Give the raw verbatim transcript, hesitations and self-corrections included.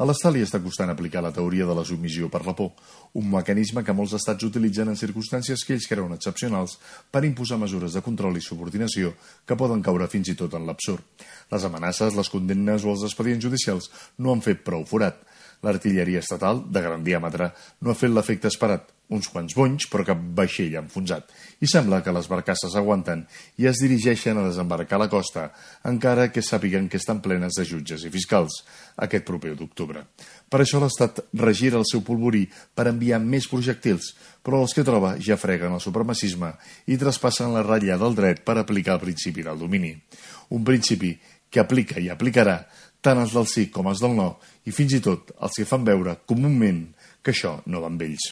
A l'Estat li està costant aplicar la teoria de la submissió per la por, un mecanisme que molts estats utilitzen en circumstàncies que ells creuen excepcionals per imposar mesures de control i subordinació que poden caure fins i tot en l'absurd. Les amenaces, les condemnes o els expedients judicials no han fet prou forat. L'artilleria estatal, de gran diàmetre, no ha fet l'efecte esperat. Uns quants bonys, però cap vaixell enfonsat. I sembla que les barcasses aguanten i es dirigeixen a desembarcar a la costa, encara que sàpiguen que estan plenes de jutges i fiscals, aquest proper d'octubre. Per això l'Estat regira el seu polvorí per enviar més projectils, però els que troba ja freguen el supremacisme i traspassen la ratlla del dret per aplicar el principi del domini. Un principi que aplica i aplicarà tant els del sí com els del no, i fins i tot els que fan veure comúment que això no va amb ells.